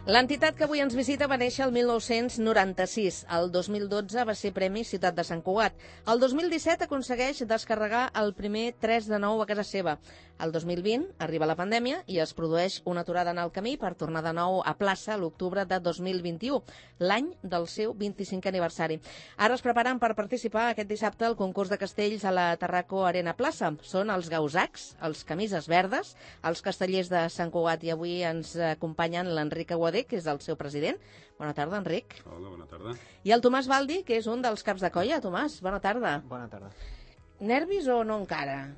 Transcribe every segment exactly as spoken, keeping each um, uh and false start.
L'entitat que avui ens visita va néixer el mil nou-cents noranta-sis. El dos mil dotze va ser Premi Ciutat de Sant Cugat. El dos mil disset aconsegueix descarregar el primer tres de nou a casa seva. El dos mil vint arriba la pandèmia i es produeix una aturada en el camí per tornar de nou a plaça l'octubre de dos mil vint-i-u, l'any del seu vint-i-cinquè aniversari. Ara es preparen per participar aquest dissabte al concurs de castells a la Tarraco Arena Plaça. Són els gausacs, els camises verdes, els castellers de Sant Cugat, i avui ens acompanyen l'Enric Aguadé, que és el seu president. Bona tarda, Enric. Hola, bona tarda. I el Tomàs Baldi, que és un dels caps de colla. Tomàs, bona tarda. Bona tarda. Nervis o no encara?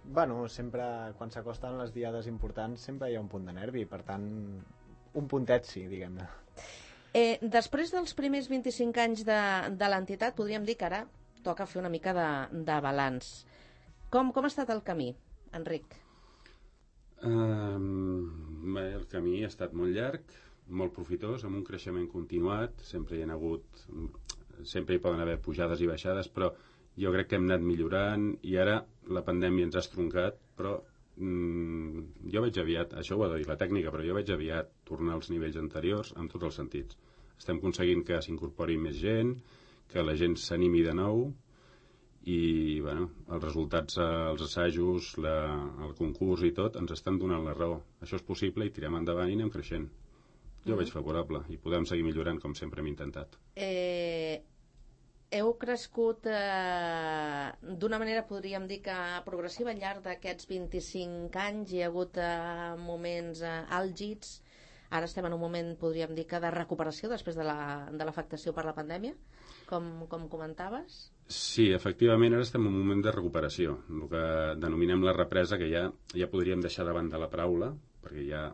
Bueno, sempre, quan s'acosten les diades importants, sempre hi ha un punt de nervi, per tant, un puntet sí, diguem-ne. Eh, després dels primers vint-i-cinc anys de, de l'entitat, podríem dir que ara toca fer una mica de, de balanç. Com, com ha estat el camí, Enric? Um, bé, el camí ha estat molt llarg, molt profitós, amb un creixement continuat. Sempre hi ha hagut, sempre hi poden haver pujades i baixades, però jo crec que hem anat millorant i ara la pandèmia ens ha estroncat, però mm, jo veig aviat, això ho ha de dir la tècnica, però jo veig aviat tornar als nivells anteriors en tots els sentits. Estem aconseguint que s'incorpori més gent, que la gent s'animi de nou i bueno, els resultats, els assajos, la, el concurs i tot ens estan donant la raó. Això és possible i tirem endavant i anem creixent. Jo mm. veig favorable i podem seguir millorant com sempre hem intentat. Eh... Heu crescut eh, d'una manera, podríem dir que progressiva, al llarg d'aquests vint-i-cinc anys. Hi ha hagut eh, moments eh, àlgids. Ara estem en un moment, podríem dir que de recuperació després de l'afectació per la pandèmia, com, com comentaves. Sí, efectivament, ara estem en un moment de recuperació, el que denominem la represa, que ja, ja podríem deixar davant de la paraula, perquè ja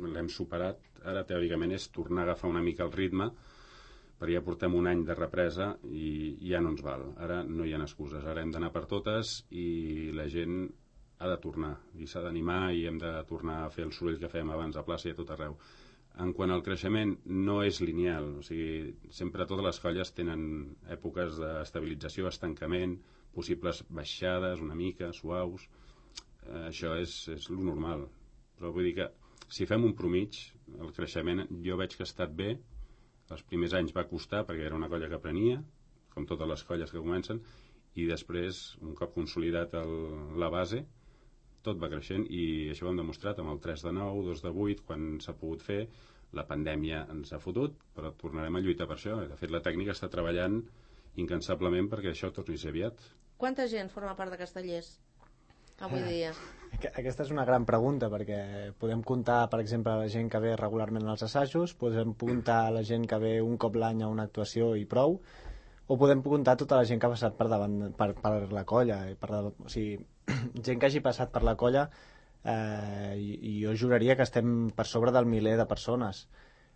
l'hem superat. Ara, teòricament, és tornar a agafar una mica el ritme, perquè ja portem un any de represa i ja no ens val. Ara no hi ha excuses, ara hem d'anar per totes i la gent ha de tornar i s'ha d'animar i hem de tornar a fer el soroll que fèiem abans a plaça i a tot arreu. En quant al creixement, no és lineal, o sigui, sempre totes les colles tenen èpoques d'estabilització, estancament, possibles baixades una mica, suaus. Eh, això és, és lo normal, però vull dir que si fem un promig, el creixement jo veig que ha estat bé. Els primers anys va costar perquè era una colla que aprenia, com totes les colles que comencen, i després, un cop consolidat el, la base, tot va creixent i això ho hem demostrat amb el tres de nou, dos de vuit, quan s'ha pogut fer. La pandèmia ens ha fotut, però tornarem a lluitar per això. De fet, la tècnica està treballant incansablement perquè això torni a ser aviat. Quanta gent forma part de Castellers avui dia? Aquesta és una gran pregunta, perquè podem comptar, per exemple, la gent que ve regularment als assajos, podem comptar la gent que ve un cop l'any a una actuació i prou, o podem comptar tota la gent que ha passat per davant per, per la colla, per, o sigui, gent que hagi passat per la colla, eh, i, i jo juraria que estem per sobre del miler de persones.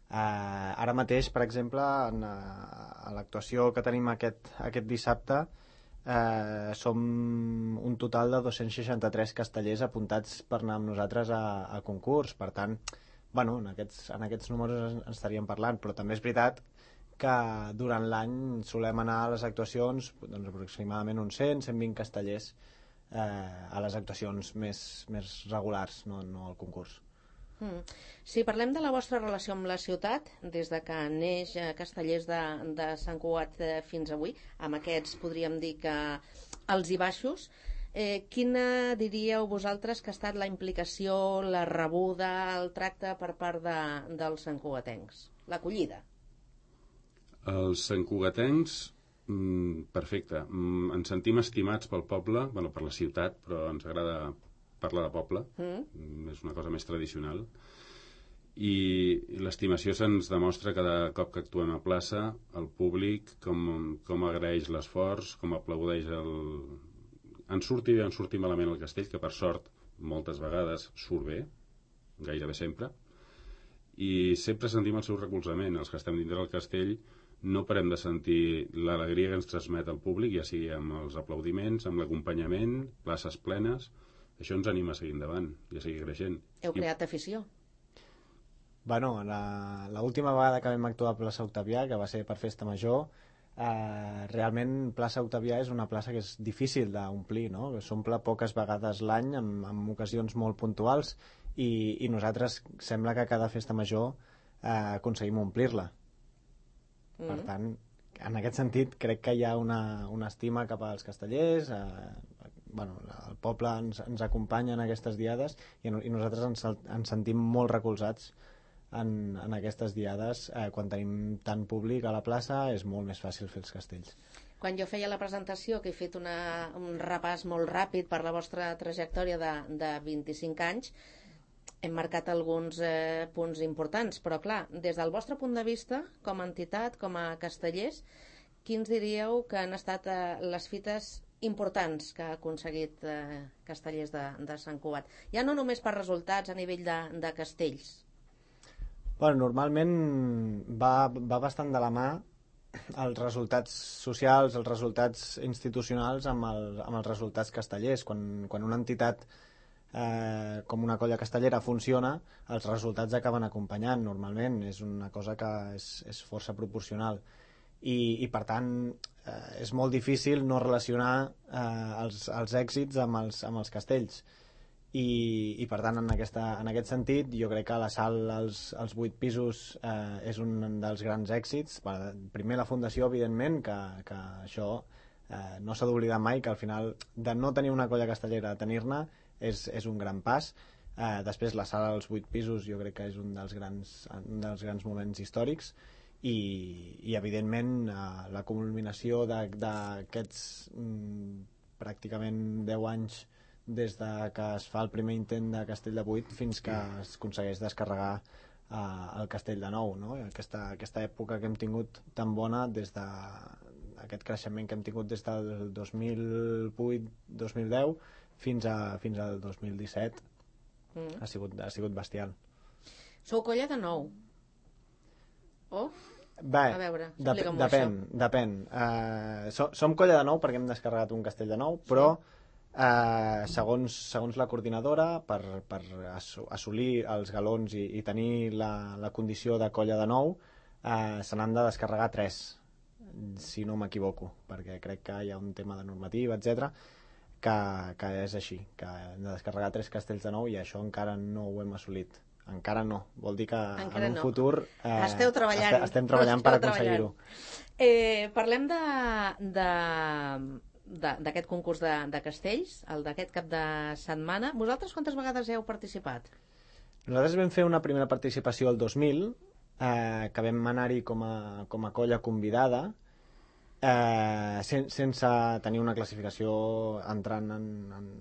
Eh, ara mateix, per exemple, en, a l'actuació que tenim aquest, aquest dissabte, Eh, som un total de dos-cents seixanta-tres castellers apuntats per anar amb nosaltres a, a concurs. Per tant, bueno, en aquests, en aquests números en estaríem parlant, però també és veritat que durant l'any solem anar a les actuacions, doncs, aproximadament uns cent a cent vint castellers eh, a les actuacions més, més regulars, no, no al concurs. Mm. Si parlem de la vostra relació amb la ciutat, des de que neix Castellers de, de Sant Cugat fins avui, amb aquests podríem dir que alts i baixos, eh, quina diríeu vosaltres que ha estat la implicació, la rebuda, el tracte per part de, dels santcugatencs? L'acollida? Els santcugatencs, mm, perfecte. Mm, ens sentim estimats pel poble, bueno, per la ciutat, però ens agrada parlar de poble, mm. és una cosa més tradicional, i l'estimació se'ns demostra cada cop que actuem a plaça, el públic com, com agraeix l'esforç, com aplaudeix el... En surti bé, en surti malament el castell, que per sort moltes vegades surt bé, gairebé sempre, i sempre sentim el seu recolzament. Els que estem dintre del castell no parem de sentir l'alegria que ens transmet el públic, ja sigui amb els aplaudiments, amb l'acompanyament, places plenes. Això ens anima a seguir endavant i a seguir creixent. Heu creat afició? Bueno, l'última vegada que vam actuar a plaça Octavià, que va ser per Festa Major, eh, realment plaça Octavià és una plaça que és difícil d'omplir, no? S'omple poques vegades l'any, en, en ocasions molt puntuals, i, i nosaltres sembla que cada Festa Major eh, aconseguim omplir-la. Mm. Per tant, en aquest sentit, crec que hi ha una, una estima cap als castellers, eh, bueno, el poble ens, ens acompanya en aquestes diades i, i nosaltres ens, ens sentim molt recolzats en, en aquestes diades. Eh, quan tenim tant públic a la plaça és molt més fàcil fer els castells. Quan jo feia la presentació, que he fet una, un repàs molt ràpid per la vostra trajectòria de, de vint-i-cinc anys, hem marcat alguns eh, punts importants, però clar, des del vostre punt de vista, com a entitat, com a castellers, quins diríeu que han estat eh, les fites importants que ha aconseguit eh, Castellers de, de Sant Cugat? Ja no només per resultats a nivell de, de castells. Bueno, normalment va, va bastant de la mà els resultats socials, els resultats institucionals amb, el, amb els resultats castellers. Quan, quan una entitat eh, com una colla castellera funciona, els resultats acaben acompanyant normalment. És una cosa que és, és força proporcional. I, i per tant eh, és molt difícil no relacionar eh, els, els èxits amb els, amb els castells. I, i per tant en, aquesta, en aquest sentit jo crec que la sal als, als vuit pisos eh, és un dels grans èxits. Primer la fundació, evidentment, que, que això eh, no s'ha d'oblidar mai, que al final de no tenir una colla castellera a tenir-ne és, és un gran pas. Eh, després la sala als vuit pisos jo crec que és un dels grans, un dels grans moments històrics. I, i evidentment eh, la culminació d'aquests mm, pràcticament deu anys des de que es fa el primer intent de Castell de Vuit fins que es aconsegueix descarregar eh, el Castell de Nou, no? Aquesta, aquesta època que hem tingut tan bona des de aquest creixement que hem tingut des del dos mil vuit dos mil deu fins, a, fins al dos mil disset mm. ha, sigut, ha sigut bestial. Sou colla de nou? Oh? Bé, a veure, dep depèn, depèn. Uh, so, som colla de nou perquè hem descarregat un Castell de Nou, però sí. Uh, segons, segons la coordinadora, per, per assolir els galons i, i tenir la, la condició de colla de nou, uh, se n'han de descarregar tres, si no m'equivoco, perquè crec que hi ha un tema de normativa, etcètera, que, que és així, que hem de descarregar tres castells de nou i això encara no ho hem assolit. Encara no, vol dir que encara en un no. futur eh, esteu treballant, est estem treballant per aconseguir-ho. Eh, parlem de... de... d'aquest concurs de, de castells, el d'aquest cap de setmana. Vosaltres quantes vegades heu participat? Nosaltres vam fer una primera participació el dos mil, eh, que vam anar-hi com, a, com a colla convidada, eh, sen, sense tenir una classificació entrant en, en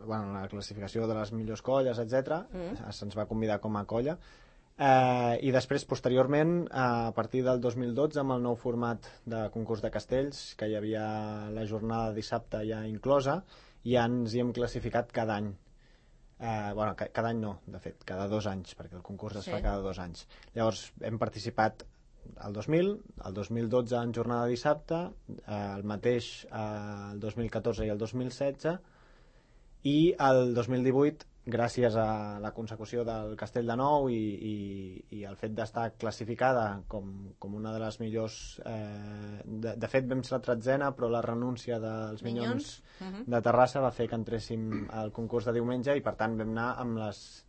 bueno, la classificació de les millors colles, etcètera. Mm. Se'ns va convidar com a colla. Eh, i després, posteriorment, a partir del dos mil dotze, amb el nou format de concurs de castells, que hi havia la jornada de dissabte ja inclosa, ja ens hi hem classificat cada any. Eh, bueno, ca cada any no, de fet, cada dos anys, perquè el concurs es sí. fa cada dos anys. Llavors, hem participat el dos mil, el dos mil dotze en jornada de dissabte, eh, el mateix eh, el dos mil catorze i el dos mil setze, i el dos mil divuit, gràcies a la consecució del Castell de Nou i, i, i el fet d'estar classificada com, com una de les millors... Eh, de, de fet, vam ser la tretzena, però la renúncia dels Minyons, Minyons uh -huh. de Terrassa va fer que entréssim al concurs de diumenge i, per tant, vam anar amb les,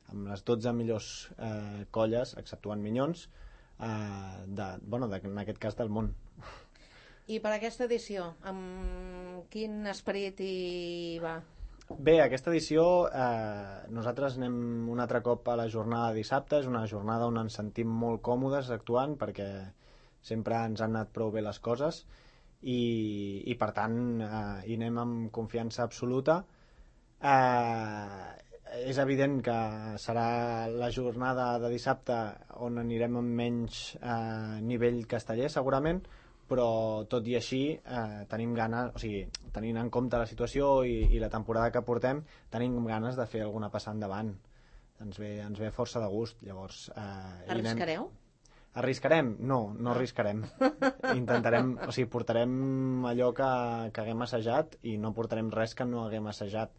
amb les dotze millors eh, colles, exceptuant Minyons, eh, de, bueno, de, en aquest cas del món. I per aquesta edició, amb quin esperit hi va? Bé, aquesta edició eh, nosaltres anem un altre cop a la jornada de dissabte. És una jornada on ens sentim molt còmodes actuant perquè sempre ens han anat prou bé les coses i, i per tant eh, hi anem amb confiança absoluta. Eh, és evident que serà la jornada de dissabte on anirem amb menys eh, nivell casteller segurament, però tot i així eh, tenim ganes, o sigui, tenint en compte la situació i, i la temporada que portem, tenim ganes de fer alguna passada endavant. Ens ve, ens ve força de gust, llavors... Eh, Arriscareu? Anem... Arriscarem? No, no arriscarem. Intentarem, o sigui, portarem allò que, que haguem assajat i no portarem res que no haguem assajat.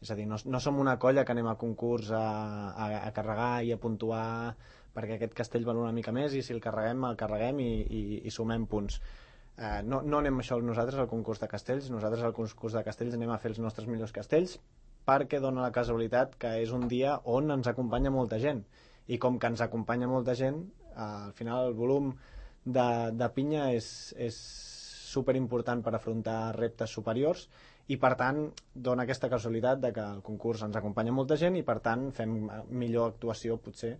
És a dir, no, no som una colla que anem a concurs a, a, a carregar i a puntuar perquè aquest castell val una mica més i si el carreguem, el carreguem i, i, i sumem punts. Eh, no, no anem això nosaltres al concurs de castells, nosaltres al concurs de castells anem a fer els nostres millors castells perquè dona la casualitat que és un dia on ens acompanya molta gent i com que ens acompanya molta gent, al final el volum de, de pinya és, és superimportant per afrontar reptes superiors i per tant dona aquesta casualitat de que el concurs ens acompanya molta gent i per tant fem millor actuació potser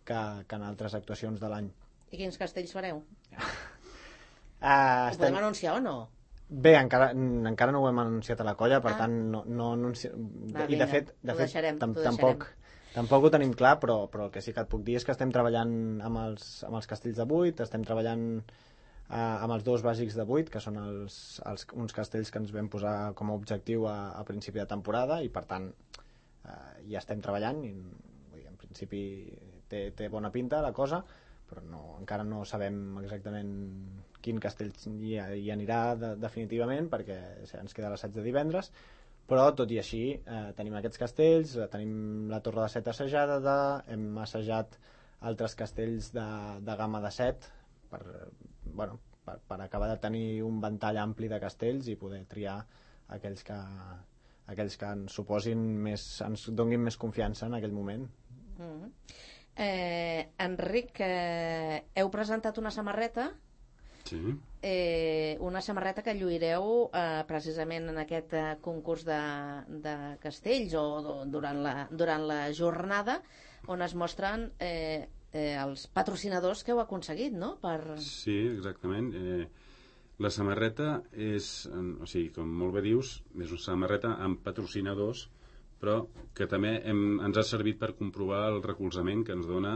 que, que en altres actuacions de l'any. I quins castells fareu? uh, Ho estem... podem anunciar o no? Bé, encara, encara no ho hem anunciat a la colla, per ah. tant no, no anunci... Va, i de fet, de fet deixarem, tam tampoc, tampoc ho tenim clar, però, però el que sí que et puc dir és que estem treballant amb els, amb els castells de vuit, estem treballant uh, amb els dos bàsics de vuit, que són els, els, uns castells que ens vam posar com a objectiu a, a principi de temporada i per tant uh, ja estem treballant i vull dir, en principi té, té bona pinta la cosa, però no, encara no sabem exactament quin castell hi, hi anirà de, definitivament perquè ens queda l'assaig de divendres, però tot i així eh, tenim aquests castells, tenim la Torre de Set assajada, de, hem assajat altres castells de, de gamma de set per, bueno, per, per acabar de tenir un ventall ampli de castells i poder triar aquells que, aquells que ens suposin més, ens donguin més confiança en aquell moment. Mm-hmm. Eh, Enric, eh, heu presentat una samarreta, sí. eh, una samarreta que lluireu eh, precisament en aquest eh, concurs de, de castells o durant la, durant la jornada on es mostren eh, eh, els patrocinadors que heu aconseguit, no? Per... Sí, exactament. Eh, la samarreta és, o sigui, com molt bé dius, és una samarreta amb patrocinadors però que també hem, ens ha servit per comprovar el recolzament que ens dona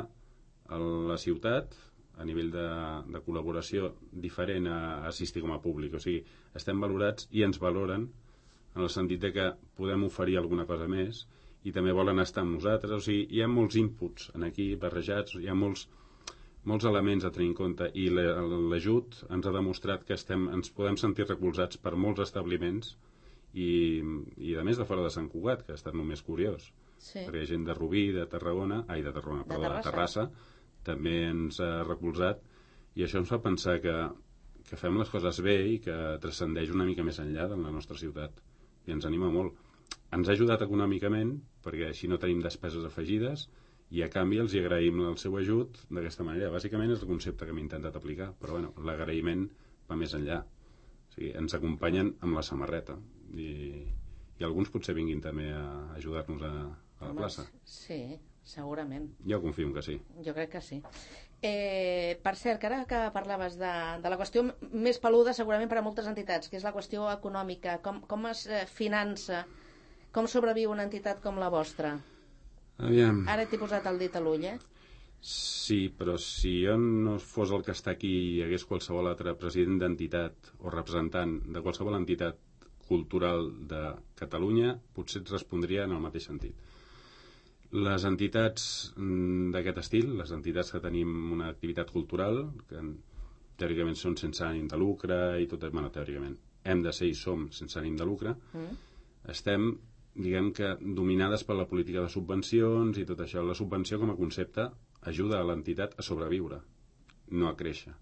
a la ciutat a nivell de, de col·laboració diferent a, a assistir com a públic. O sigui, estem valorats i ens valoren en el sentit de que podem oferir alguna cosa més i també volen estar amb nosaltres. O sigui, hi ha molts inputs en aquí barrejats, hi ha molts, molts elements a tenir en compte i l'ajut ens ha demostrat que estem, ens podem sentir recolzats per molts establiments i, i a més de fora de Sant Cugat, que ha estat només curiós, sí. Perquè hi ha gent de Rubí, de Tarragona, ai, de Tarragona, de perdó, Terrassa. de Terrassa, també ens ha recolzat i això ens fa pensar que, que fem les coses bé i que transcendeix una mica més enllà de la nostra ciutat i ens anima molt. Ens ha ajudat econòmicament perquè així no tenim despeses afegides i a canvi els hi agraïm el seu ajut d'aquesta manera. Bàsicament és el concepte que m'he intentat aplicar, però bueno, l'agraïment va més enllà. O sigui, ens acompanyen amb la samarreta i, i alguns potser vinguin també a ajudar-nos a, a la plaça. Sí, segurament. Jo confio que sí. Jo crec que sí. Eh, per cert, que ara que parlaves de, de la qüestió més peluda segurament per a moltes entitats, que és la qüestió econòmica, com, com es finança, com sobreviu una entitat com la vostra? Aviam. Ara t'he posat el dit a l'ull, eh? Sí, però si jo no fos el que està aquí i hi hagués qualsevol altre president d'entitat o representant de qualsevol entitat cultural de Catalunya, potser et respondria en el mateix sentit. Les entitats d'aquest estil, les entitats que tenim una activitat cultural, que teòricament són sense ànim de lucre i tot, bueno, teòricament hem de ser i som sense ànim de lucre, mm. estem, diguem que, dominades per la política de subvencions i tot això. La subvenció com a concepte ajuda a l'entitat a sobreviure, no a créixer.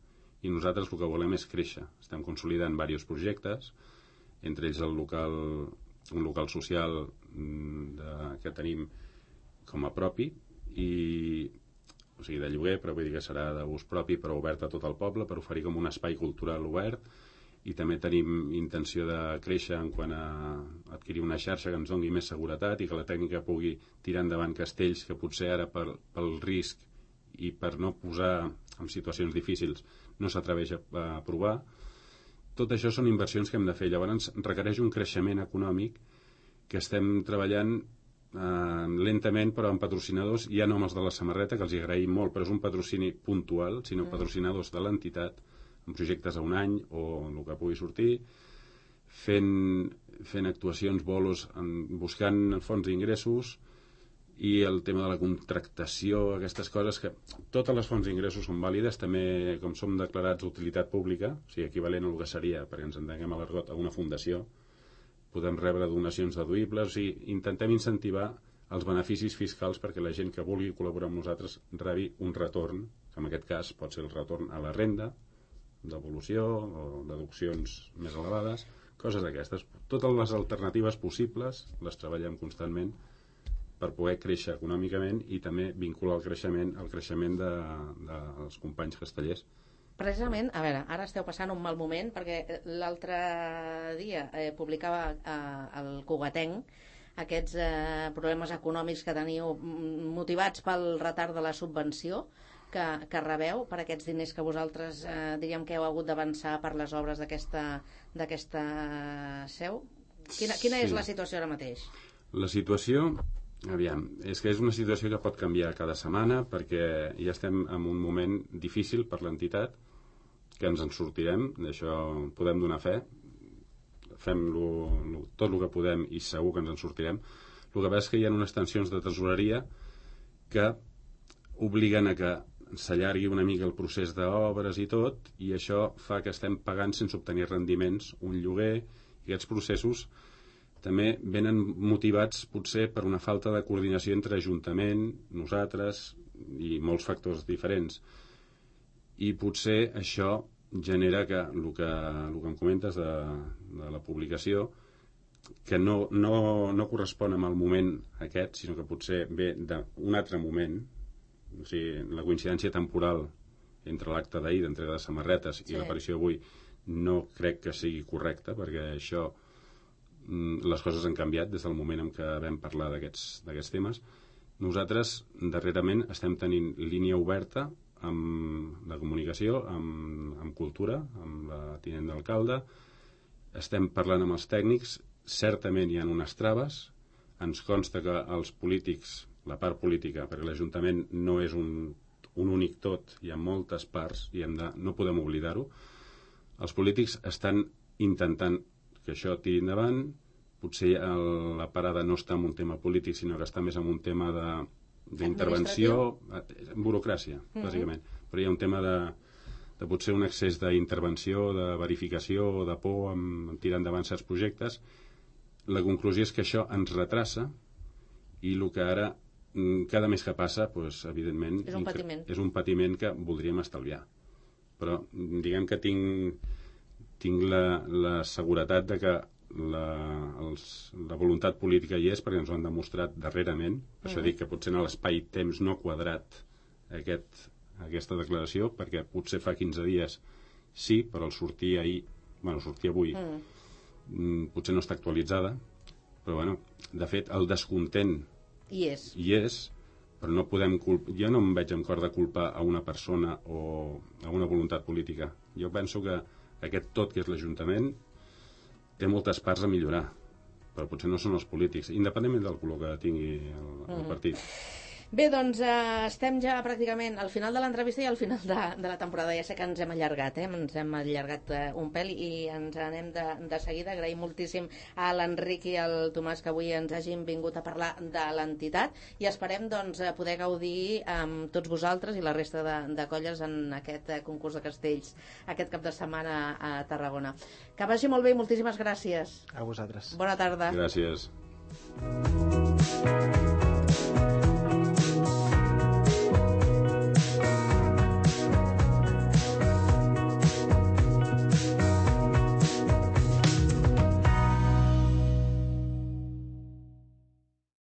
I nosaltres el que volem és créixer. Estem consolidant diversos projectes, entre ells el local, un local social de, que tenim com a propi, i, o sigui, de lloguer, però vull dir que serà d'ús propi, però obert a tot el poble, per oferir com un espai cultural obert, i també tenim intenció de créixer en quant a adquirir una xarxa que ens doni més seguretat i que la tècnica pugui tirar endavant castells que potser ara per, pel risc i per no posar en situacions difícils no s'atreveix a, a provar. Tot això són inversions que hem de fer. Llavors requereix un creixement econòmic que estem treballant eh, lentament, però amb patrocinadors, ja no amb els de la samarreta, que els hi agraïm molt, però és un patrocini puntual, sinó patrocinadors de l'entitat, amb projectes a un any o el que pugui sortir, fent, fent actuacions, bolos, en, buscant fonts d'ingressos i el tema de la contractació, aquestes coses que totes les fonts d'ingressos són vàlides, també com som declarats d'utilitat pública, o sigui, equivalent a el que seria, perquè ens entenguem a l'argot, a una fundació, podem rebre donacions deduïbles, o sigui, intentem incentivar els beneficis fiscals perquè la gent que vulgui col·laborar amb nosaltres rebi un retorn, que en aquest cas pot ser el retorn a la renda, devolució o deduccions més elevades, coses d'aquestes. Totes les alternatives possibles les treballem constantment per poder créixer econòmicament i també vincular el creixement al creixement de, de, dels companys castellers. Precisament, a veure, ara esteu passant un mal moment perquè l'altre dia eh, publicava eh, el Cugatenc aquests eh, problemes econòmics que teniu motivats pel retard de la subvenció que, que rebeu per aquests diners que vosaltres eh, diríem que heu hagut d'avançar per les obres d'aquesta d'aquesta seu. Quina, quina és Sí. la situació ara mateix? La situació, aviam, és que és una situació que pot canviar cada setmana perquè ja estem en un moment difícil per l'entitat, que ens en sortirem, d'això podem donar fe, fem lo, lo, tot el que podem i segur que ens en sortirem. El que passa és que hi ha unes tensions de tresoreria que obliguen a que s'allargui una mica el procés d'obres i tot, i això fa que estem pagant sense obtenir rendiments un lloguer, i aquests processos també venen motivats potser per una falta de coordinació entre Ajuntament, nosaltres i molts factors diferents. I potser això genera que el que, el que em comentes de, de la publicació, que no, no, no correspon amb el moment aquest, sinó que potser ve d'un altre moment, o sigui, la coincidència temporal entre l'acte d'ahir d'entrega de samarretes sí. i l'aparició d'avui no crec que sigui correcta, perquè això les coses han canviat des del moment en què vam parlar d'aquests d'aquests temes. Nosaltres darrerament estem tenint línia oberta amb la comunicació, amb, amb cultura, amb la tinent d'alcalde, estem parlant amb els tècnics, certament hi ha unes traves, ens consta que els polítics, la part política, perquè l'Ajuntament no és un, un únic tot, hi ha moltes parts i hem de, no podem oblidar-ho, els polítics estan intentant que això tiri endavant, potser el, la parada no està en un tema polític, sinó que està més en un tema de d'intervenció, burocràcia, mm-hmm. bàsicament. Però hi ha un tema de, de potser un excés d'intervenció, de verificació o de por en, en tirar endavant certs projectes. La conclusió és que això ens retrassa i el que ara, cada mes que passa, doncs, evidentment, és un patiment. És un patiment que voldríem estalviar. Però diguem que tinc, tinc la, la seguretat de que La, els, la voluntat política hi és perquè ens ho han demostrat darrerament. Per això dic que potser en l'espai-temps no quadrat aquest, aquesta declaració, perquè potser fa quinze dies sí, però el sortir ahir, bueno, sortir avui mm. potser no està actualitzada, però bueno, de fet el descontent hi és, hi és però no podem culpar, jo no em veig amb cor de culpar a una persona o a una voluntat política. Jo penso que aquest tot que és l'Ajuntament té moltes parts a millorar, però potser no són els polítics, independentment del color que tingui el, el mm. partit. Bé, doncs eh, estem ja pràcticament al final de l'entrevista i al final de, de la temporada. Ja sé que ens hem allargat, eh? ens hem allargat eh, un pèl i ens anem de, de seguida. Agraïm moltíssim a l'Enric i al Tomàs que avui ens hagin vingut a parlar de l'entitat i esperem doncs, poder gaudir amb tots vosaltres i la resta de, de colles en aquest eh, concurs de castells aquest cap de setmana a Tarragona. Que vagi molt bé i moltíssimes gràcies. A vosaltres. Bona tarda. Gràcies.